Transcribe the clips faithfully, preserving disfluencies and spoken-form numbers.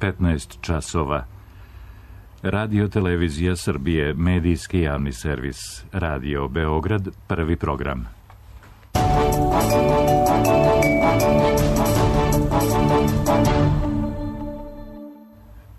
petnaest časova. Radio Televizija Srbije, medijski javni servis. Radio Beograd, prvi program.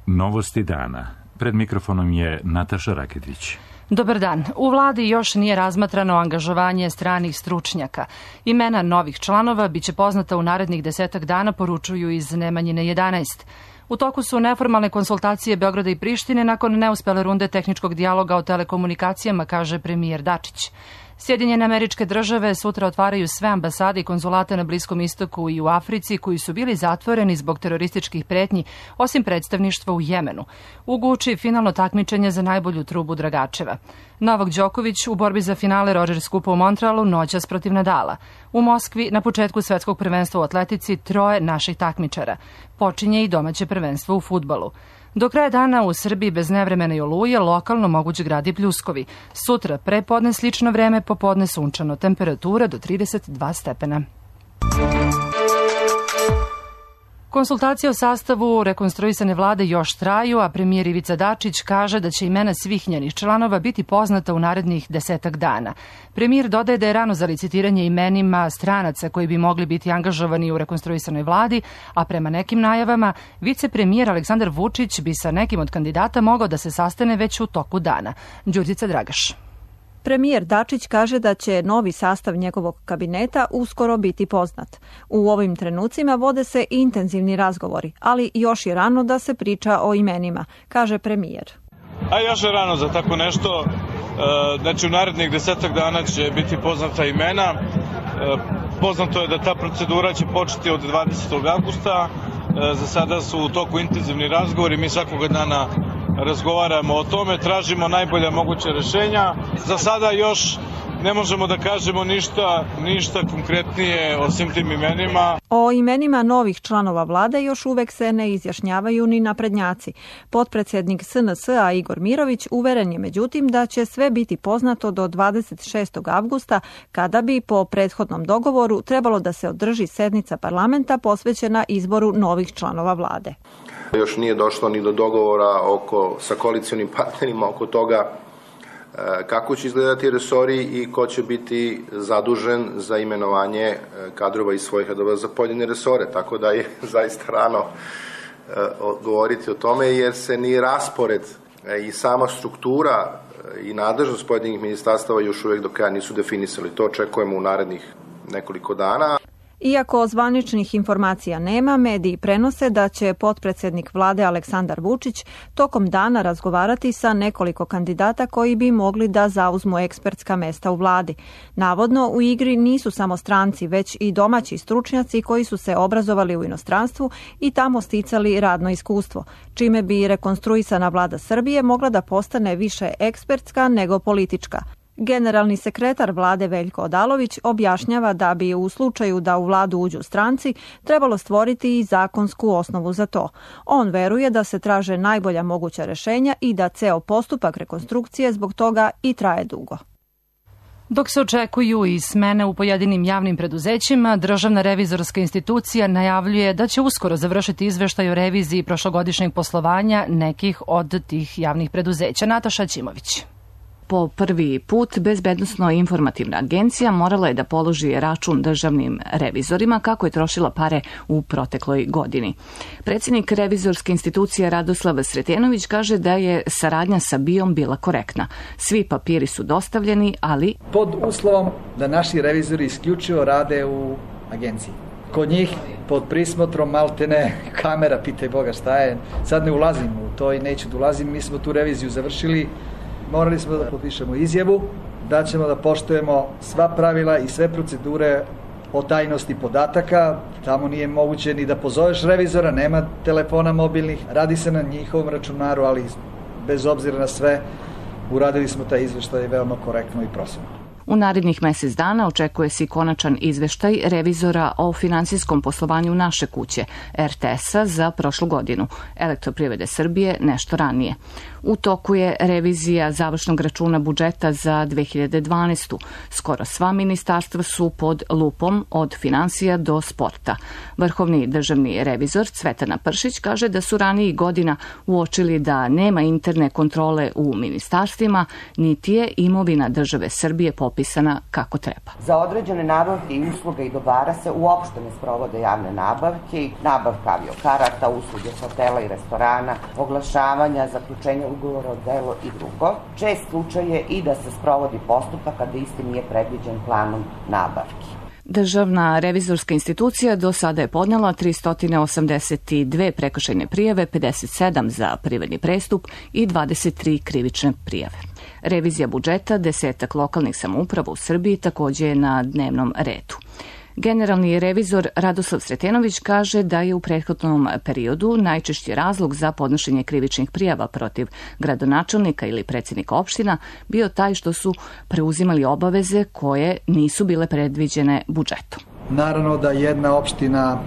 Novosti dana. Pred mikrofonom je Nataša Raketić. Dobar dan. U vladi još nije razmatrano angažovanje stranih stručnjaka. Imena novih članova biće poznata u narednih desetak dana, poručuju iz Nemanjine jedanaest. U toku su neformalne konsultacije Beograda i Prištine nakon neuspele runde tehničkog dijaloga o telekomunikacijama, kaže premijer Dačić. Sjedinjene Američke Države sutra otvaraju sve ambasade i konzulate na Bliskom istoku i u Africi koji su bili zatvoreni zbog terorističkih pretnji, osim predstavništva u Jemenu. U Guči finalno takmičenje za najbolju trubu Dragačeva. Novak Đoković u borbi za finale Rogers Kupa u Montrealu noćas protiv Nadala. U Moskvi na početku svetskog prvenstva u atletici troje naših takmičara. Počinje i domaće prvenstvo u fudbalu. Do kraja dana u Srbiji bez nevremena i oluje lokalno mogući gradi pljuskovi. Sutra prepodne slično vreme, popodne sunčano, temperatura do trideset dva stepena. Konsultacije o sastavu rekonstruisane vlade još traju, a premijer Ivica Dačić kaže da će imena svih njenih članova biti poznata u narednih desetak dana. Premijer dodaje da je rano za licitiranje imenima stranaca koji bi mogli biti angažovani u rekonstruisanoj vladi, a prema nekim najavama, vicepremijer Aleksandar Vučić bi sa nekim od kandidata mogao da se sastane već u toku dana. Đurđica Dragaš. Premijer Dačić kaže da će novi sastav njegovog kabineta uskoro biti poznat. U ovim trenucima vode se intenzivni razgovori, ali još je rano da se priča o imenima, kaže premijer. A još je rano za tako nešto. Znači u narednih desetak dana će biti poznata imena. Poznato je da ta procedura će početi od dvadesetog avgusta. Za sada su u toku intenzivni razgovori, mi svakoga dana razgovaramo o tome, tražimo najbolja moguća rešenja. Za sada još ne možemo da kažemo ništa, ništa konkretnije o svim tim imenima. O imenima novih članova vlade još uvek se ne izjašnjavaju ni naprednjaci. Potpredsednik S N S-a Igor Mirović uveren je međutim da će sve biti poznato do dvadeset šestog avgusta, kada bi po prethodnom dogovoru trebalo da se održi sednica parlamenta posvećena izboru novih članova vlade. Još nije došlo ni do dogovora oko, sa koalicionim partnerima oko toga kako će izgledati resori i ko će biti zadužen za imenovanje kadrova iz svojih redova za pojedine resore. Tako da je zaista rano govoriti o tome, jer se ni raspored i sama struktura i nadležnost pojedinih ministarstava još uvijek do kraja nisu definisali. To očekujemo u narednih nekoliko dana. Iako zvaničnih informacija nema, mediji prenose da će potpredsednik vlade Aleksandar Vučić tokom dana razgovarati sa nekoliko kandidata koji bi mogli da zauzmu ekspertska mesta u vladi. Navodno, u igri nisu samo stranci, već i domaći stručnjaci koji su se obrazovali u inostranstvu i tamo sticali radno iskustvo, čime bi rekonstruisana vlada Srbije mogla da postane više ekspertska nego politička. Generalni sekretar vlade Veljko Odalović objašnjava da bi u slučaju da u vladu uđu stranci trebalo stvoriti i zakonsku osnovu za to. On veruje da se traže najbolja moguća rešenja i da ceo postupak rekonstrukcije zbog toga i traje dugo. Dok se očekuju i smene u pojedinim javnim preduzećima, Državna revizorska institucija najavljuje da će uskoro završiti izveštaj o reviziji prošlogodišnjeg poslovanja nekih od tih javnih preduzeća. Nataša Ćimović. Po prvi put Bezbednosno-informativna agencija morala je da položi račun državnim revizorima kako je trošila pare u protekloj godini. Predsjednik revizorske institucije Radoslav Sretenović kaže da je saradnja sa B I O-m bila korektna. Svi papiri su dostavljeni, ali pod uslovom da naši revizori isključivo rade u agenciji. Kod njih pod prismotrom maltene kamera, pitaj Boga šta je. Sad ne ulazim u to i neću da ulazim, mi smo tu reviziju završili. Morali smo da potpišemo izjavu, da ćemo da poštujemo sva pravila i sve procedure o tajnosti podataka. Tamo nije moguće ni da pozoveš revizora, nema telefona mobilnih, radi se na njihovom računaru, ali bez obzira na sve, uradili smo taj izveštaj veoma korektno i profesionalno. U narednih mesec dana očekuje se i konačan izveštaj revizora o finansijskom poslovanju naše kuće, er te es-a, za prošlu godinu, Elektroprivrede Srbije nešto ranije. U toku je revizija završnog računa budžeta za dve hiljade dvanaestu. Skoro sva ministarstva su pod lupom od finansija do sporta. Vrhovni državni revizor Cvetana Pršić kaže da su ranijih godina uočili da nema interne kontrole u ministarstvima, niti je imovina države Srbije popisana kako treba. Za određene nabavke i usluge i dobara se uopšte ne sprovode javne nabavke, nabavka aviokarata, usluge hotela i restorana, oglašavanja, zaključenja ugovora o delu i drugo. Čest slučaj je i da se sprovodi postupak kada isti nije predviđen planom nabavki. Državna revizorska institucija do sada je podnela tristo osamdeset dve prekršajne prijave, pedeset sedam za privredni prestup i dvadeset tri krivične prijave. Revizija budžeta desetak lokalnih samouprava u Srbiji takođe je na dnevnom redu. Generalni revizor Radoslav Sretenović kaže da je u prethodnom periodu najčešći razlog za podnošenje krivičnih prijava protiv gradonačelnika ili predsjednika opština bio taj što su preuzimali obaveze koje nisu bile predviđene budžetom. Naravno da jedna opština,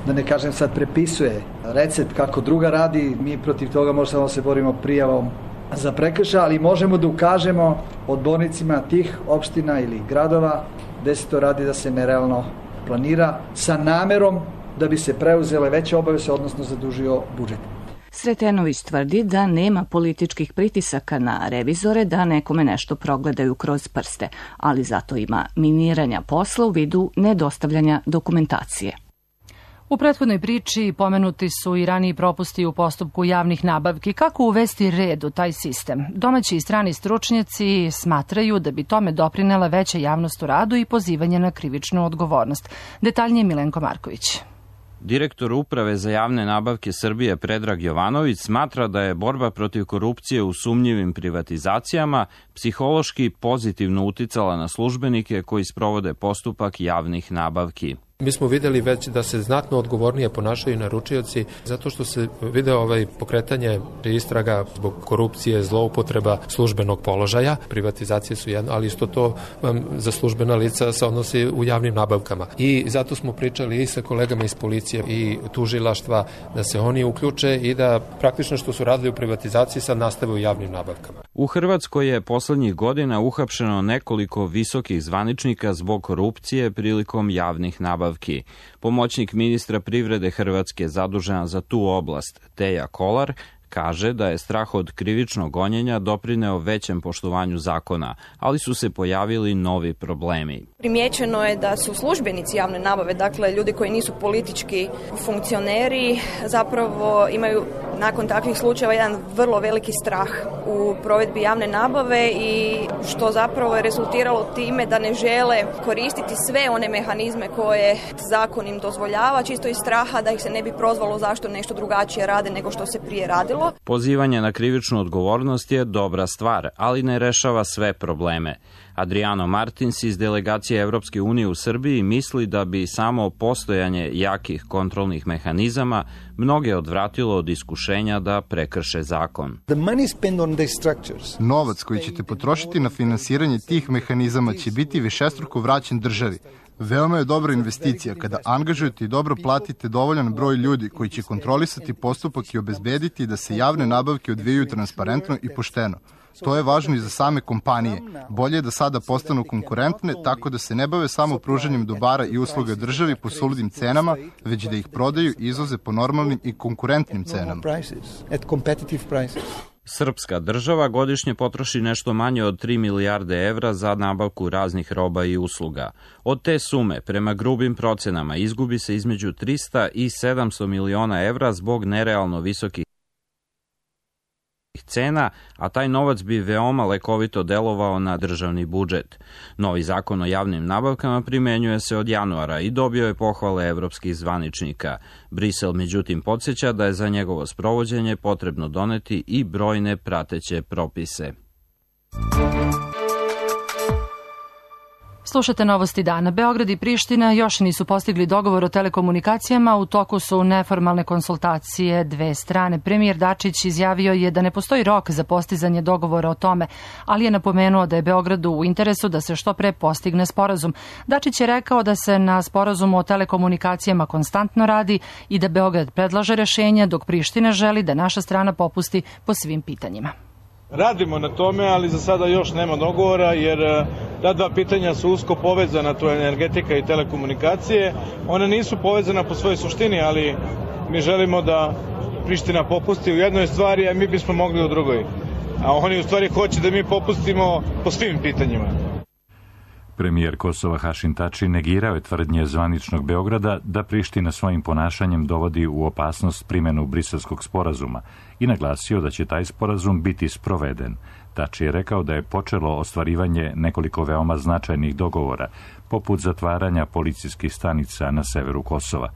da ne kažem sad, prepisuje recept kako druga radi, mi protiv toga možemo se borimo prijavom za prekršaj, ali možemo da ukažemo odbornicima tih opština ili gradova gde se to radi da se nerealno planira sa namerom da bi se preuzele veće obaveze, odnosno zadužio budžet. Sretenović tvrdi da nema političkih pritisaka na revizore da nekome nešto progledaju kroz prste, ali zato ima miniranja posla u vidu nedostavljanja dokumentacije. U prethodnoj priči pomenuti su i raniji propusti u postupku javnih nabavki. Kako uvesti red u taj sistem? Domaći i strani stručnjaci smatraju da bi tome doprinela veća javnost u radu i pozivanje na krivičnu odgovornost. Detaljnije Milenko Marković. Direktor Uprave za javne nabavke Srbije Predrag Jovanović smatra da je borba protiv korupcije u sumnjivim privatizacijama psihološki pozitivno uticala na službenike koji sprovode postupak javnih nabavki. Mi smo videli već da se znatno odgovornije ponašaju naručioci zato što se video ovaj pokretanje istraga zbog korupcije, zloupotreba službenog položaja. Privatizacije su jedno, ali isto to um, za službena lica se odnosi u javnim nabavkama. I zato smo pričali i sa kolegama iz policije i tužilaštva da se oni uključe i da praktično što su radili u privatizaciji sad nastave u javnim nabavkama. U Hrvatskoj je poslednjih godina uhapšeno nekoliko visokih zvaničnika zbog korupcije prilikom javnih nabavki. Pomoćnik ministra privrede Hrvatske zadužena za tu oblast, Teja Kolar, kaže da je strah od krivičnog gonjenja doprineo većem poštovanju zakona, ali su se pojavili novi problemi. Primjećeno je da su službenici javne nabave, dakle ljudi koji nisu politički funkcioneri, zapravo imaju nakon takvih slučajeva jedan vrlo veliki strah u provedbi javne nabave i što zapravo je rezultiralo time da ne žele koristiti sve one mehanizme koje zakon im dozvoljava, čisto iz straha da ih se ne bi prozvalo zašto nešto drugačije rade nego što se prije radilo. Pozivanje na krivičnu odgovornost je dobra stvar, ali ne rešava sve probleme. Adriano Martins iz delegacije Evropske unije u Srbiji misli da bi samo postojanje jakih kontrolnih mehanizama mnoge odvratilo od iskušenja da prekrše zakon. Novac koji ćete potrošiti na finansiranje tih mehanizama će biti višestruko vraćen državi. Veoma je dobra investicija kada angažujete i dobro platite dovoljan broj ljudi koji će kontrolisati postupak i obezbediti da se javne nabavke odvijaju transparentno i pošteno. To je važno i za same kompanije. Bolje je da sada postanu konkurentne tako da se ne bave samo pružanjem dobara i usluga državi po suludim cenama, već da ih prodaju i izvoze po normalnim i konkurentnim cenama. Srpska država godišnje potroši nešto manje od tri milijarde evra za nabavku raznih roba i usluga. Od te sume, prema grubim procenama, izgubi se između trista i sedamsto miliona evra zbog nerealno visokih cena, a taj novac bi veoma lekovito delovao na državni budžet. Novi zakon o javnim nabavkama primenjuje se od januara i dobio je pohvale evropskih zvaničnika. Brisel međutim podsjeća da je za njegovo sprovođenje potrebno doneti i brojne prateće propise. Slušate novosti dana. Beograd i Priština još nisu postigli dogovor o telekomunikacijama, u toku su neformalne konsultacije dve strane. Premijer Dačić izjavio je da ne postoji rok za postizanje dogovora o tome, ali je napomenuo da je Beogradu u interesu da se što pre postigne sporazum. Dačić je rekao da se na sporazumu o telekomunikacijama konstantno radi i da Beograd predlaže rešenja, dok Priština želi da naša strana popusti po svim pitanjima. Radimo na tome, ali za sada još nema dogovora, jer ta dva pitanja su usko povezana, to je energetika i telekomunikacije. One nisu povezana po svojoj suštini, ali mi želimo da Priština popusti u jednoj stvari, a mi bismo mogli u drugoj. A oni u stvari hoće da mi popustimo po svim pitanjima. Premijer Kosova Hašim Tači negirao je tvrdnje zvaničnog Beograda da Priština svojim ponašanjem dovodi u opasnost primjenu Briselskog sporazuma i naglasio da će taj sporazum biti sproveden. Tači je rekao da je počelo ostvarivanje nekoliko veoma značajnih dogovora, poput zatvaranja policijskih stanica na severu Kosova.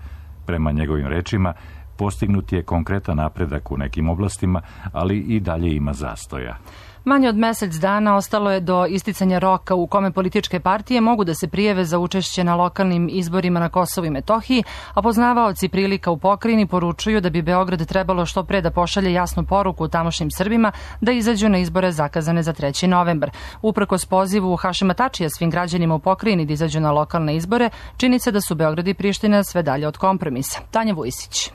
Prema njegovim rečima, postignut je konkretan napredak u nekim oblastima, ali i dalje ima zastoja. Manje od mesec dana ostalo je do isticanja roka u kome političke partije mogu da se prijave za učešće na lokalnim izborima na Kosovu i Metohiji, a poznavaoci prilika u pokrajini poručuju da bi Beograd trebalo što pre da pošalje jasnu poruku tamošnjim Srbima da izađu na izbore zakazane za treći novembar. Uprkos pozivu Hašima Tačija svim građanima u pokrajini da izađu na lokalne izbore, čini se da su Beograd i Priština sve dalje od kompromisa. Tanja Vujsić.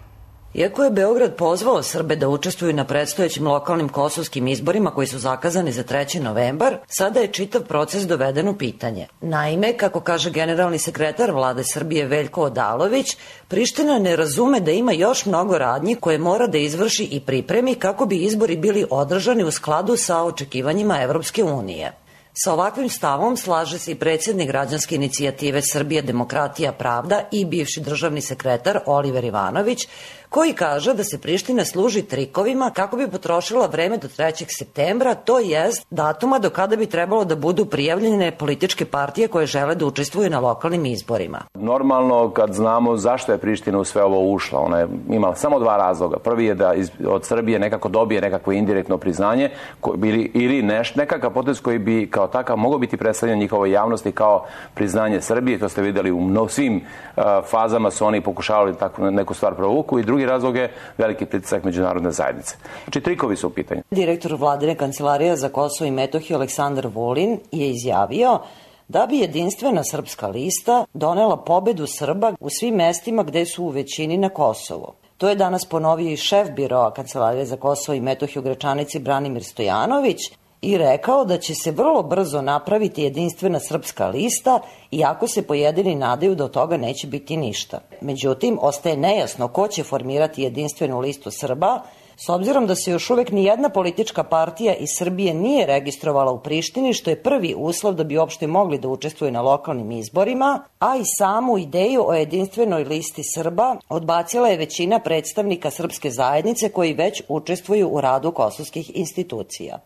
Iako je Beograd pozvao Srbe da učestvuju na predstojećim lokalnim kosovskim izborima koji su zakazani za treći novembar, sada je čitav proces doveden u pitanje. Naime, kako kaže generalni sekretar vlade Srbije Veljko Odalović, Priština ne razume da ima još mnogo radnji koje mora da izvrši i pripremi kako bi izbori bili održani u skladu sa očekivanjima Evropske unije. Sa ovakvim stavom slaže se i predsjednik građanske inicijative Srbije demokratija pravda i bivši državni sekretar Oliver Ivanović, koji kaže da se Priština služi trikovima kako bi potrošila vreme do trećeg septembra, to jest datuma do kada bi trebalo da budu prijavljene političke partije koje žele da učestvuju na lokalnim izborima. Normalno, kad znamo zašto je Priština u sve ovo ušla, ona je imala samo dva razloga. Prvi je da od Srbije nekako dobije nekakvo indirektno priznanje ili, ili neš, nekakav potez koji bi kao takav mogao biti predstavljen njihovoj javnosti kao priznanje Srbije. To ste videli u mno, svim uh, fazama su oni pokušavali takvu neku stvar provuku i drugi razlog je veliki pritisak međunarodne zajednice. Znači, trikovi su u pitanju. Direktor vladine kancelarije za Kosovo i Metohiju Aleksandar Vulin je izjavio da bi jedinstvena srpska lista donela pobedu Srba u svim mestima gde su u većini na Kosovu. To je danas ponovio i šef biroa Kancelarije za Kosovo i Metohiju u Gračanici Branimir Stojanović i rekao da će se vrlo brzo napraviti jedinstvena srpska lista, iako se pojedini nadaju da od toga neće biti ništa. Međutim, ostaje nejasno ko će formirati jedinstvenu listu Srba, s obzirom da se još uvek ni jedna politička partija iz Srbije nije registrovala u Prištini, što je prvi uslov da bi uopšte mogli da učestvuju na lokalnim izborima, a i samu ideju o jedinstvenoj listi Srba odbacila je većina predstavnika srpske zajednice koji već učestvuju u radu kosovskih institucija.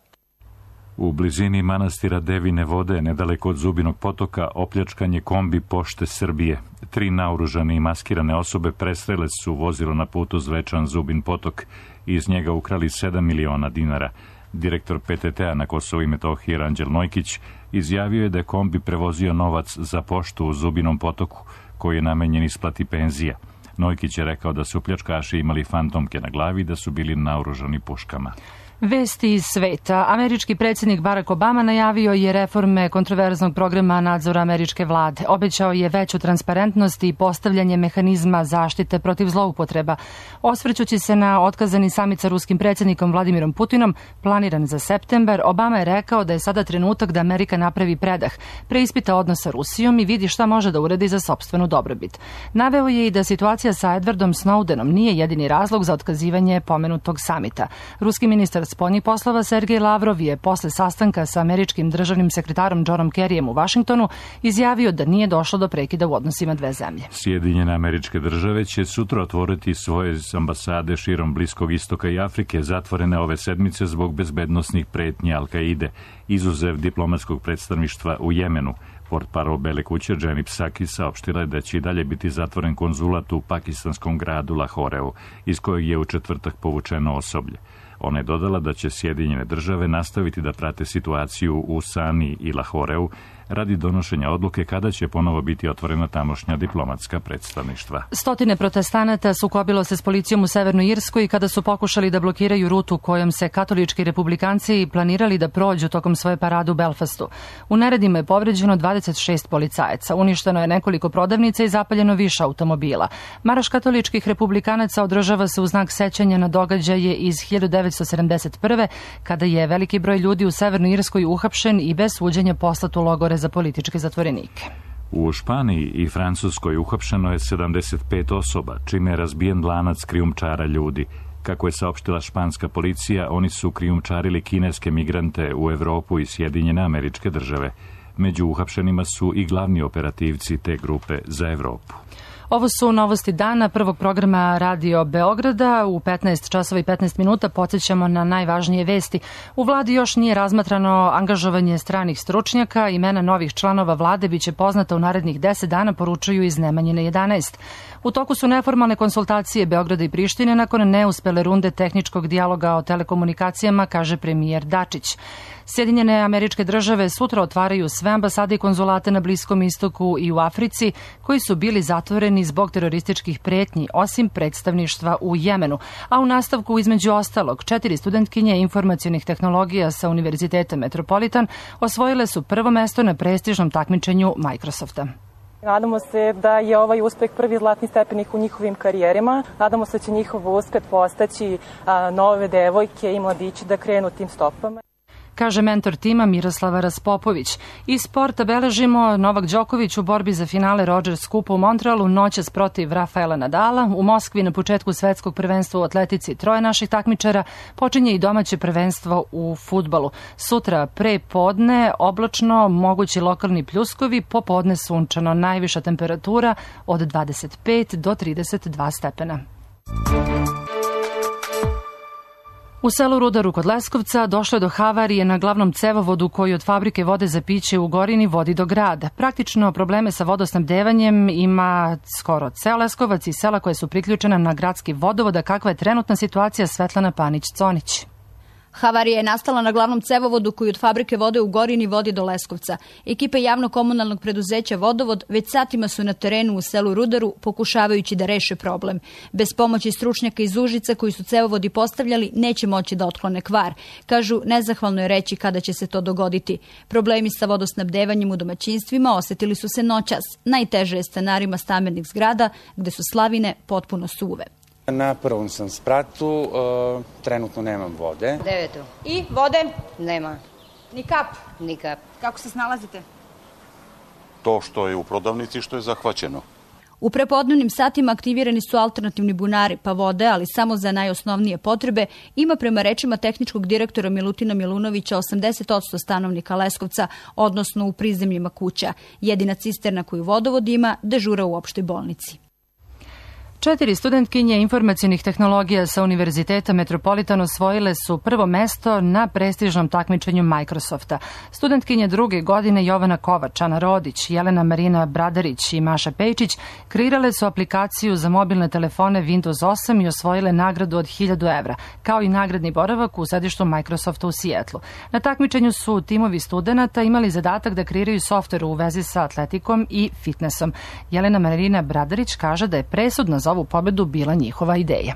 U blizini manastira Devine Vode, nedaleko od Zubinog potoka, opljačkan je kombi Pošte Srbije. Tri naoružane i maskirane osobe prestrele su vozilo na putu Zvečan Zubin potok i iz njega ukrali sedam miliona dinara. Direktor P T T-a na Kosovu i Metohiji Ranđel Nojkić izjavio je da je kombi prevozio novac za poštu u Zubinom potoku, koji je namenjen isplati penzija. Nojkić je rekao da su pljačkaši imali fantomke na glavi i da su bili naoružani puškama. Vesti iz sveta. Američki predsjednik Barack Obama najavio je reforme kontroverznog programa nadzora američke vlade. Obećao je veću transparentnost i postavljanje mehanizma zaštite protiv zloupotreba. Osvrćući se na otkazani samit sa ruskim predsjednikom Vladimirom Putinom, planiran za septembar, Obama je rekao da je sada trenutak da Amerika napravi predah, preispita odnos sa Rusijom i vidi šta može da uradi za sopstvenu dobrobit. Naveo je i da situacija sa Edwardom Snowdenom nije jedini razlog za otkazivanje pomenutog samita. Ruski ministar spoljnih poslova Sergej Lavrov je posle sastanka sa američkim državnim sekretarom Johnom Kerryjem u Vašingtonu izjavio da nije došlo do prekida u odnosima dve zemlje. Sjedinjene Američke Države će sutra otvoriti svoje ambasade širom Bliskog istoka i Afrike, zatvorene ove sedmice zbog bezbednosnih pretnji Al-Kaide, izuzev diplomatskog predstavništva u Jemenu. Portparol Bele kuće Jenny Psaki saopštila je da će i dalje biti zatvoren konzulat u pakistanskom gradu Lahoreu, iz kojeg je u četvrtak povučeno osoblje. Ona je dodala da će Sjedinjene Države nastaviti da prate situaciju u Sani i Lahoreu, radi donošenja odluke kada će ponovo biti otvorena tamošnja diplomatska predstavništva. Stotine protestanata sukobilo se s policijom u Severnoj Irskoj kada su pokušali da blokiraju rutu kojom se katolički republikanci planirali da prođu tokom svoje parade u Belfastu. U neredima je povređeno dvadeset šest policajaca, uništeno je nekoliko prodavnica i zapaljeno više automobila. Marš katoličkih republikanaca održava se u znak sećanja na događaje iz hiljadu devetsto sedamdeset prve. kada je veliki broj ljudi u Severnoj Irskoj uhapšen i bez suđenja poslat u logore za političke zatvorenike. U Španiji i Francuskoj uhapšeno je sedamdeset pet osoba, čime je razbijen lanac krijumčara ljudi. Kako je saopštila španska policija, oni su krijumčarili kineske migrante u Evropu i Sjedinjene Američke Države. Među uhapšenima su i glavni operativci te grupe za Evropu. Ovo su novosti dana prvog programa Radio Beograda. U petnaest časova i petnaest minuta podsjećamo na najvažnije vesti. U vladi još nije razmatrano angažovanje stranih stručnjaka. Imena novih članova vlade biće poznata u narednih deset dana, poručuju iz Nemanjine jedanaest. U toku su neformalne konsultacije Beograda i Prištine nakon neuspele runde tehničkog dijaloga o telekomunikacijama, kaže premijer Dačić. Sjedinjene Američke Države sutra otvaraju sve ambasade i konzulate na Bliskom istoku i u Africi, koji su bili zatvoreni zbog terorističkih pretnji, osim predstavništva u Jemenu. A u nastavku, između ostalog, četiri studentkinje informacionih tehnologija sa Univerziteta Metropolitan osvojile su prvo mesto na prestižnom takmičenju Microsofta. Nadamo se da je ovaj uspeh prvi zlatni stepenik u njihovim karijerima. Nadamo se da će njihov uspeh postaći a, nove devojke i mladići da krenu tim stopama. Kaže mentor tima Miroslava Raspopović. Iz sporta beležimo Novak Đoković u borbi za finale Rogers Kupa u Montrealu noćas protiv Rafaela Nadala. U Moskvi na početku svetskog prvenstva u atletici troje naših takmičara počinje i domaće prvenstvo u fudbalu. Sutra pre podne oblačno, mogući lokalni pljuskovi, popodne sunčano, najviša temperatura od dvadeset pet do trideset dva stepena. U selu Rudaru kod Leskovca došlo je do havarije na glavnom cevovodu koji od fabrike vode za piće u Gorini vodi do grada. Praktično probleme sa vodosnabdevanjem ima skoro ceo Leskovac i sela koje su priključena na gradski vodovod, a kakva je trenutna situacija, Svetlana Panić-Conić. Havarija je nastala na glavnom cevovodu koji od fabrike vode u Gorini vodi do Leskovca. Ekipe javno-komunalnog preduzeća Vodovod već satima su na terenu u selu Rudaru pokušavajući da reše problem. Bez pomoći stručnjaka iz Užica koji su cevovodi postavljali neće moći da otklone kvar. Kažu, nezahvalno je reći kada će se to dogoditi. Problemi sa vodosnabdevanjem u domaćinstvima osetili su se noćas. Najteže je stanarima stambenih zgrada gde su slavine potpuno suve. Na prvom sam spratu, uh, trenutno nemam vode. Devetu. I vode? Nema. Ni kap? Ni kap. Kako se snalazite? To što je u prodavnici, što je zahvaćeno. U prepodnevnim satima aktivirani su alternativni bunari, pa vode, ali samo za najosnovnije potrebe, ima prema rečima tehničkog direktora Milutina Milunovića osamdeset posto stanovnika Leskovca, odnosno u prizemljima kuća. Jedina cisterna koju vodovod ima dežura u opštoj bolnici. Četiri studentkinje informacionih tehnologija sa Univerziteta Metropolitan osvojile su prvo mesto na prestižnom takmičenju Microsofta. Studentkinje druge godine Jovana Kovač, Ana Rodić, Jelena Marina Bradarić i Maša Pejčić kreirale su aplikaciju za mobilne telefone Windows osam i osvojile nagradu od hiljadu evra, kao i nagradni boravak u sedištu Microsofta u Sijetlu. Na takmičenju su timovi studenata imali zadatak da kreiraju softver u vezi sa atletikom i fitnessom. Jelena Marina Bradarić kaže da je presudna za ovu pobedu bila njihova ideja.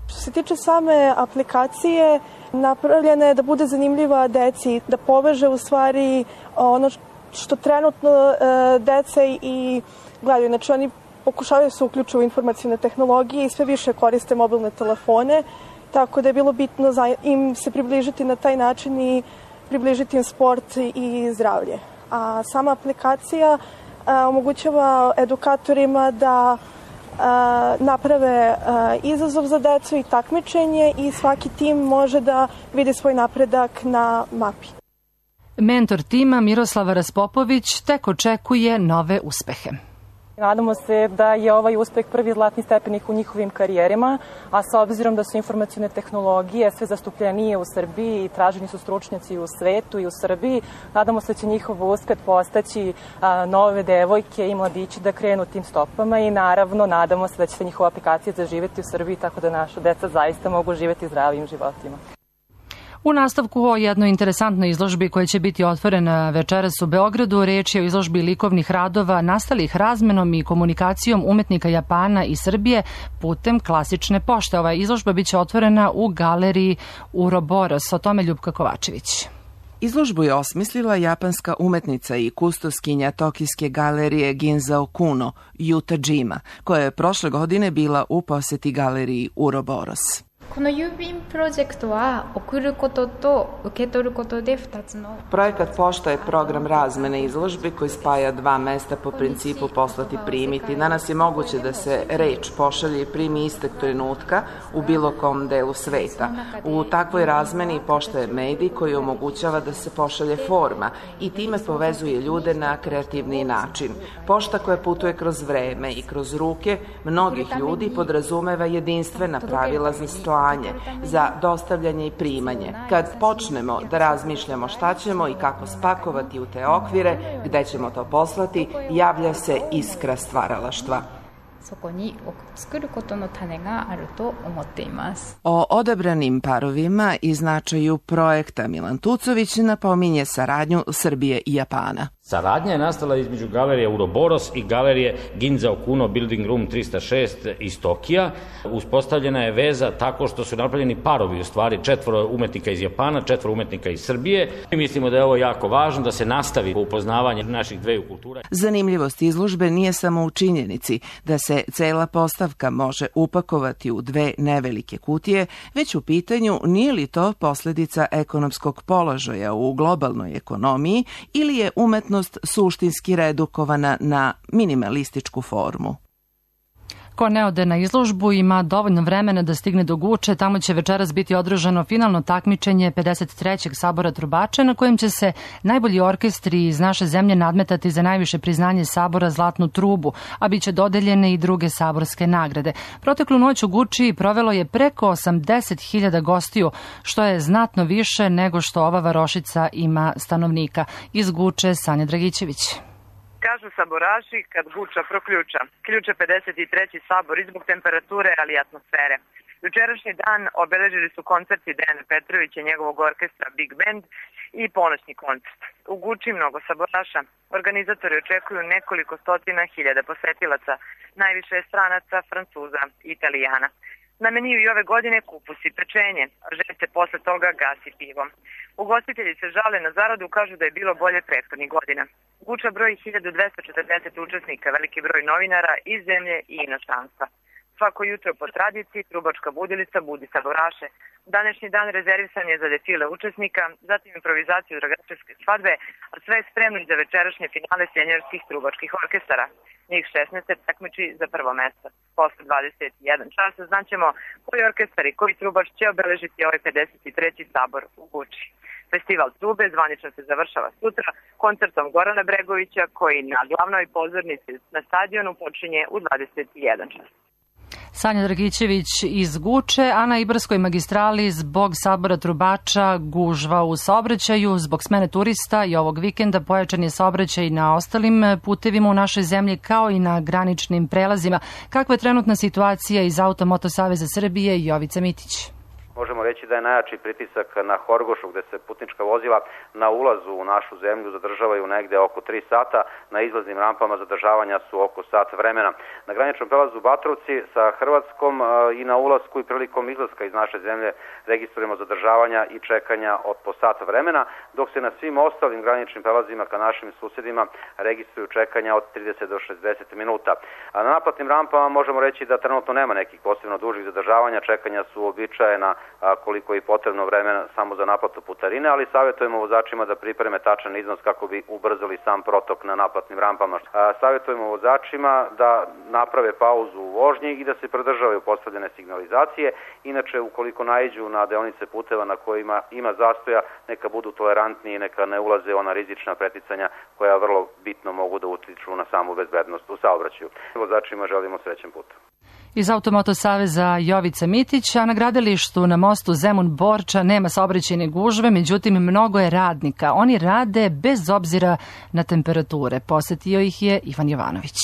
Što se tiče same aplikacije, napravljena je da bude zanimljiva deci, da poveže u stvari ono što trenutno deca i gledaju. Znači oni pokušavaju se uključiti u informacijne tehnologije i sve više koriste mobilne telefone, tako da je bilo bitno im se približiti na taj način i približiti im sport i zdravlje. A sama aplikacija omogućava edukatorima da naprave izazov za decu i takmičenje i svaki tim može da vidi svoj napredak na mapi. Mentor tima Miroslava Raspopović tek očekuje nove uspehe. Nadamo se da je ovaj uspeh prvi zlatni stepenik u njihovim karijerima, a s obzirom da su informacijne tehnologije sve zastupljenije u Srbiji i traženi su stručnjaci u svetu i u Srbiji, nadamo se da će njihov uspeh postaći a, nove devojke i mladići da krenu tim stopama i naravno nadamo se da će se njihova aplikacija zaživeti u Srbiji tako da naša deca zaista mogu živeti zdravim životima. U nastavku o jednoj interesantnoj izložbi koja će biti otvorena večeras u Beogradu, reč je o izložbi likovnih radova nastalih razmenom i komunikacijom umetnika Japana i Srbije putem klasične pošte. Ova izložba biće otvorena u galeriji Uroboros. O tome Ljupka Kovačević. Izložbu je osmislila japanska umetnica i kustoskinja tokijske galerije Ginza Okuno, Yuta Jima, koja je prošle godine bila u poseti galeriji Uroboros. Projekat pošta je program razmene izložbe koji spaja dva mesta po principu poslati primiti. Danas je moguće da se reč pošalje i primi istog trenutka u bilo kom delu sveta. U takvoj razmeni pošta je medij koji omogućava da se pošalje forma i time povezuje ljude na kreativniji način. Pošta koja putuje kroz vreme i kroz ruke mnogih ljudi podrazumeva jedinstvena pravila za slanje, za dostavljanje i primanje. Kad počnemo da razmišljamo šta ćemo i kako spakovati u te okvire, gde ćemo to poslati, javlja se iskra stvaralaštva. O odabranim parovima i značaju projekta Milan Tucović napominje saradnju Srbije i Japana. Saradnja je nastala između galerije Uroboros i galerije Ginza Okuno Building Room trista šest iz Tokija. Uspostavljena je veza tako što su napravljeni parovi, u stvari četvoro umetnika iz Japana, četvoro umetnika iz Srbije. Mi mislimo da je ovo jako važno, da se nastavi upoznavanje naših dveju kultura. Zanimljivost izložbe nije samo u činjenici da se cela postavka može upakovati u dve nevelike kutije, već u pitanju nije li to posledica ekonomskog položaja u globalnoj ekonomiji ili je umetnost suštinski redukovana na minimalističku formu. Ko ne ode na izložbu ima dovoljno vremena da stigne do Guče. Tamo će večeras biti održano finalno takmičenje pedeset trećeg sabora trubača na kojem će se najbolji orkestri iz naše zemlje nadmetati za najviše priznanje sabora Zlatnu trubu, a bit će dodeljene i druge saborske nagrade. Proteklu noć u Guči provelo je preko osamdeset hiljada gostiju, što je znatno više nego što ova varošica ima stanovnika. Iz Guče Sanja Dragićević. Kažu saboraši kad Guča proključa. Ključe pedeset treći sabor i zbog temperature, ali i atmosfere. Jučerašnji dan obeležili su koncerti Dejana Petrovića i njegovog orkestra Big Band i ponoćni koncert. U Guči mnogo saboraša. Organizatori očekuju nekoliko stotina hiljada posetilaca, najviše stranaca, Francuza i Italijana. Na meniju i ove godine kupus i pečenje, a želj se posle toga gasi pivom. Ugostitelji se žale na zaradu, kažu da je bilo bolje prethodnih godina. Guča broji hiljadu dvesta četrdeset učesnika, veliki broj novinara iz zemlje i inostranstva. Svako jutro po tradiciji trubačka budilica budi saboraše. Današnji dan rezervisan je za defile učesnika, zatim improvizaciju dragačevske svadbe, a sve je spremno za večerašnje finale senjorskih trubačkih orkestara. Njih šesnaest takmiči za prvo mesto. Posle dvadeset jedan časa znaćemo koji orkestar i koji trubač će obeležiti ovaj pedeset treći sabor u Guči. Festival trube zvanično se završava sutra koncertom Gorana Bregovića koji na glavnoj pozornici na stadionu počinje u dvadeset jedan čas. Sanja Dragićević iz Guče, a na Ibarskoj magistrali zbog sabora trubača gužva u saobraćaju, zbog smene turista i ovog vikenda pojačan je saobraćaj na ostalim putevima u našoj zemlji kao i na graničnim prelazima. Kakva je trenutna situacija iz Automoto Saveza Srbije? Jovica Mitić. Možemo reći da je najjači pritisak na Horgošu gde se putnička vozila na ulazu u našu zemlju zadržavaju negde oko tri sata, na izlaznim rampama zadržavanja su oko sat vremena. Na graničnom prelazu Batrovci sa Hrvatskom i na ulasku i prilikom izlaska iz naše zemlje registrujemo zadržavanja i čekanja od po sat vremena, dok se na svim ostalim graničnim prelazima ka našim susedima registruju čekanja od trideset do šezdeset minuta. A na naplatnim rampama možemo reći da trenutno nema nekih posebno dužih zadržavanja, čekanja su uobičajena koliko je potrebno vremena samo za naplatu putarine, ali savjetujemo vozačima da pripreme tačan iznos kako bi ubrzali sam protok na naplatnim rampama. Savjetujemo vozačima da naprave pauzu u vožnji i da se pridržavaju postavljene signalizacije. Inače, ukoliko naiđu na deonice puteva na kojima ima zastoja, neka budu tolerantni i neka ne ulaze ona rizična preticanja koja vrlo bitno mogu da utiču na samu bezbednost u saobraćaju. Vozačima želimo srećan put. Iz Automoto Saveza Jovica Mitić, a na gradilištu na mostu Zemun-Borča nema saobraćajne gužve, međutim mnogo je radnika. Oni rade bez obzira na temperature. Posetio ih je Ivan Jovanović.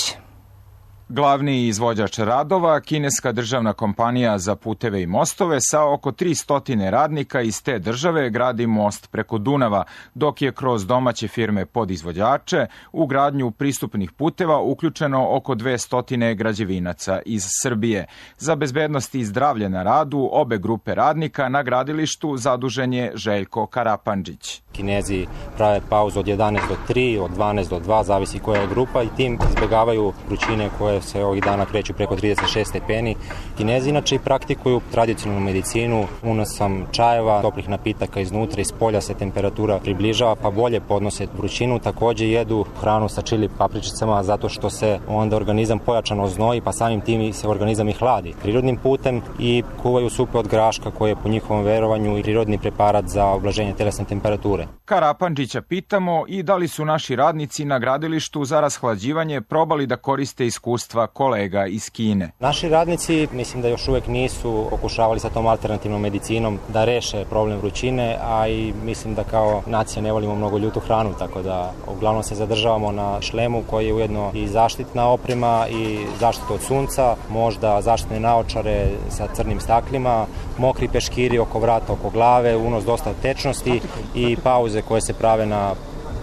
Glavni izvođač radova, kineska državna kompanija za puteve i mostove sa oko tristo radnika iz te države gradi most preko Dunava, dok je kroz domaće firme podizvođače u gradnju pristupnih puteva uključeno oko dvesta građevinaca iz Srbije. Za bezbednost i zdravlje na radu obe grupe radnika na gradilištu zadužen je Željko Karapandžić. Kinezi prave pauzu od jedanaest do tri, od dvanaest do dva, zavisi koja je grupa, i tim izbjegavaju vrućine koje se ovih dana kreću preko trideset šest stepeni. Kinezi inače praktikuju tradicionalnu medicinu, unosom čajeva, toplih napitaka iznutra, iz polja se temperatura približava pa bolje podnose vrućinu. Takođe jedu hranu sa čili papričicama zato što se onda organizam pojačano znoji, pa samim tim se organizam i hladi prirodnim putem, i kuvaju supe od graška koje je po njihovom verovanju i prirodni preparat za ublaženje telesne temperature. Karapandžića pitamo i da li su naši radnici na gradilištu za rashlađivanje probali da koriste iskustva kolega iz Kine. Naši radnici mislim da još uvek nisu pokušavali sa tom alternativnom medicinom da reše problem vrućine, a i mislim da kao nacija ne volimo mnogo ljutu hranu, tako da uglavnom se zadržavamo na šlemu koji je ujedno i zaštitna oprema i zaštita od sunca, možda zaštitne naočare sa crnim staklima, mokri peškiri oko vrata, oko glave, unos dosta tečnosti i pauze koje se prave na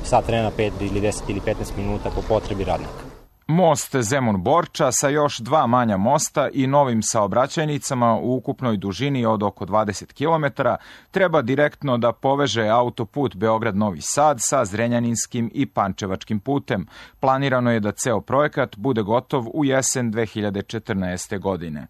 sat vremena, pet ili deset ili petnaest minuta po potrebi radnika. Most Zemun-Borča sa još dva manja mosta i novim saobraćajnicama u ukupnoj dužini od oko dvadeset kilometara treba direktno da poveže autoput Beograd-Novi Sad sa Zrenjaninskim i Pančevačkim putem. Planirano je da ceo projekat bude gotov u jesen dve hiljade četrnaeste. godine.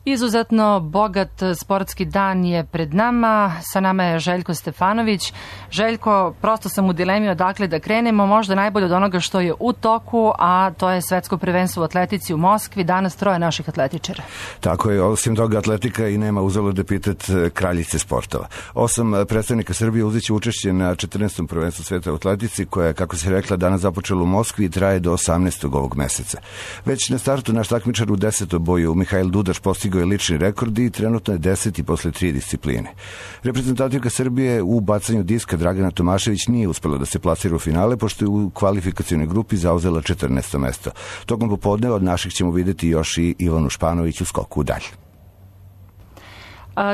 Izuzetno bogat sportski dan je pred nama. Sa nama je Željko Stefanović. Željko, prosto sam u dilemi odakle da krenemo, možda najbolje od onoga što je u toku, a to je svetsko prvenstvo u atletici u Moskvi. Danas troje naših atletičara. Tako je, osim toga atletika i nema uzalud epitet kraljice sportova. Osam predstavnika Srbije uzeće učešće na četrnaestom prvenstvu sveta u atletici, koja je, kako se rekla, danas započela u Moskvi i traje do osamnaestog ovog meseca. Već na startu naš takmičar u desetom boju Mihajl Dudaš postigao je lični rekord i trenutno je deseti posle tri discipline. Reprezentativka Srbije u bacanju diska Dragana Tomašević nije uspela da se plasira u finale, pošto je u kvalifikacionoj grupi zauzela četrnaesto mesto. Tokom popodneva od naših ćemo videti još i Ivanu Španović u skoku dalje.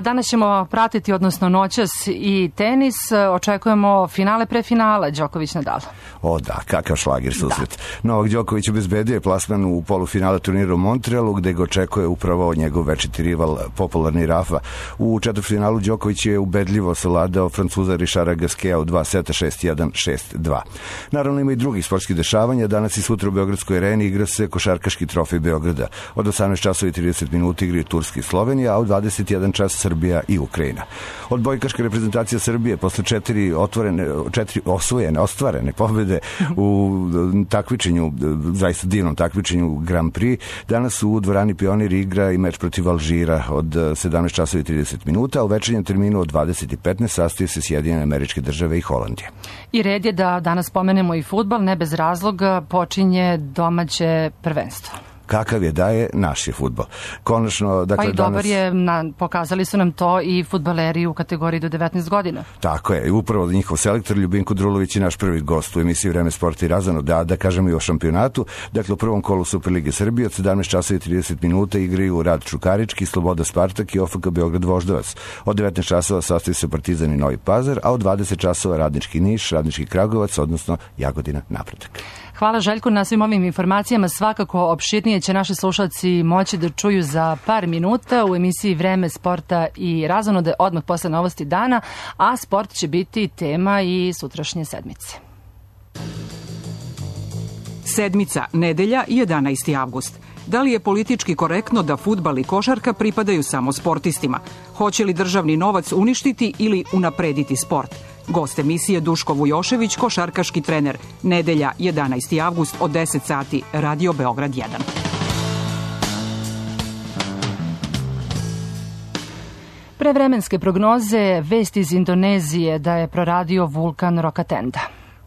Danas ćemo pratiti, odnosno noćas, i tenis. Očekujemo finale pre finala, Đoković-Nadal. O da, kakav šlagir susret. Da. Novak Đoković obezbedio je plasman u polufinale turnira u Montrealu, gde ga očekuje upravo njegov večiti rival, popularni Rafa. U četvrtfinalu Đoković je ubedljivo savladao Francuza Richarda Gasqueta u dva seta, šest jedan, šest dva. Naravno ima i drugih sportskih dešavanja. Danas i sutra u Beogradskoj areni igra se košarkaški trofej Beograda. Od osamnaest časova i trideset minuta igraju Turska i Slovenija, a u dvadeset jedan čas Srbija i Ukrajina. Odbojkaška reprezentacija Srbije posle četiri otvorene, četiri osvojene, ostvarene pobede u takmičenju, zaista divnom takmičenju Grand Prix, danas u dvorani Pionir igra i meč protiv Alžira od sedamnaest časova i trideset minuta, a u večernjem terminu od dvadeset i petnaest sastaju se Sjedinjene Američke Države i Holandije. I red je da danas spomenemo i fudbal, ne bez razloga počinje domaće prvenstvo. Kakav je da je naš je fudbal. Konačno, dakle, pa i dobar danas... je, na, pokazali su nam to i fudbaleri u kategoriji do devetnaest godina. Tako je, upravo njihov selektor Ljubinko Drulović je naš prvi gost u emisiji Vreme sporta i razano, da, da kažemo i o šampionatu. Dakle, u prvom kolu Superlige Srbije od sedamnaest časova i trideset minuta igraju Rad Čukarički, Sloboda Spartak i O F K Beograd Voždovac. Od devetnaest časova sastaju se Partizan i Novi Pazar, a od dvadeset časova Radnički Niš, Radnički Kragujevac, odnosno Jagodina Napredak. Hvala Željko na svim ovim informacijama. Svakako opširnije će naši slušalci moći da čuju za par minuta u emisiji Vreme sporta i razonode odmah posle novosti dana, a sport će biti tema i sutrašnje sedmice. Sedmica, nedelja, jedanaesti avgust. Da li je politički korektno da fudbal i košarka pripadaju samo sportistima? Hoće li državni novac uništiti ili unaprediti sport? Gost emisije Duško Vujošević, košarkaški trener. Nedelja, jedanaesti avgust od deset sati, Radio Beograd jedan. Prevremenske prognoze, vest iz Indonezije da je proradio vulkan Rokatenda.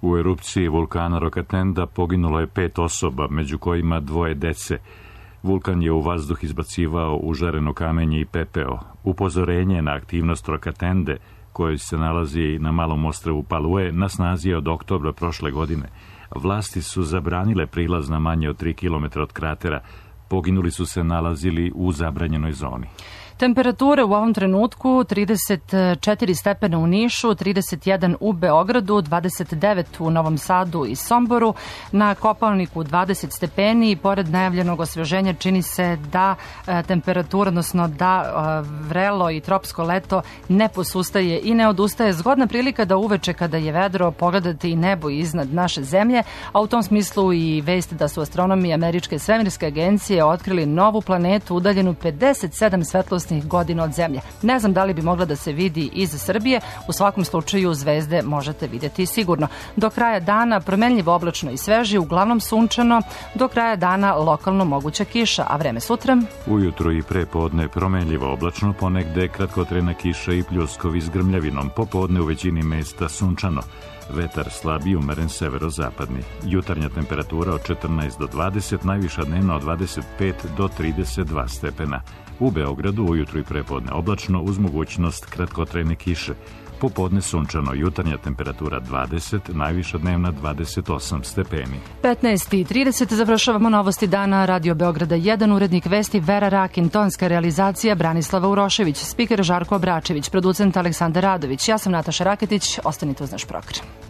U erupciji vulkana Rokatenda poginulo je pet osoba, među kojima dvoje dece. Vulkan je u vazduh izbacivao užareno kamenje i pepeo. Upozorenje na aktivnost Rokatende, koji se nalazi na malom ostrvu Palue, na snazi je od oktobra prošle godine, Vlasti su zabranile prilaz na manje od tri kilometra od kratera. Poginuli su se nalazili u zabranjenoj zoni. Temperature u ovom trenutku trideset četiri stepena u Nišu, trideset jedan u Beogradu, dvadeset devet u Novom Sadu i Somboru, na Kopaoniku dvadeset stepeni i pored najavljenog osveženja čini se da e, temperatura, odnosno da e, vrelo i tropsko leto ne posustaje i ne odustaje. Zgodna prilika da uveče kada je vedro pogledate i nebo iznad naše zemlje, a u tom smislu i vest da su astronomi Američke svemirske agencije otkrili novu planetu udaljenu pedeset sedam svetlosnih godina od zemlje. Ne znam da li bi mogla da se vidi iz Srbije, u svakom slučaju zvezde možete vidjeti sigurno. Do kraja dana promenljivo oblačno i sveži, uglavnom sunčano, do kraja dana lokalno moguća kiša, a vreme sutra? Ujutru i prepodne promenljivo oblačno, ponegde kratkotrajna kiša i pljuskovi s grmljavinom, popodne u većini mesta sunčano. Vetar slab i umeren severozapadni. Jutarnja temperatura od četrnaest do dvadeset, najviša dnevna od dvadeset pet do trideset dva stepena. U Beogradu ujutru i prepodne oblačno uz mogućnost kratkotrajne kiše. Popodne sunčano, jutarnja temperatura dvadeset, najviša dnevna dvadeset osam stepeni. petnaest i trideset završavamo novosti dana. Radio Beograda jedan, urednik vesti Vera Rakin, tonska realizacija Branislava Urošević, spiker Žarko Obračević, producent Aleksandar Radović. Ja sam Nataša Raketić, ostanite uz naš program.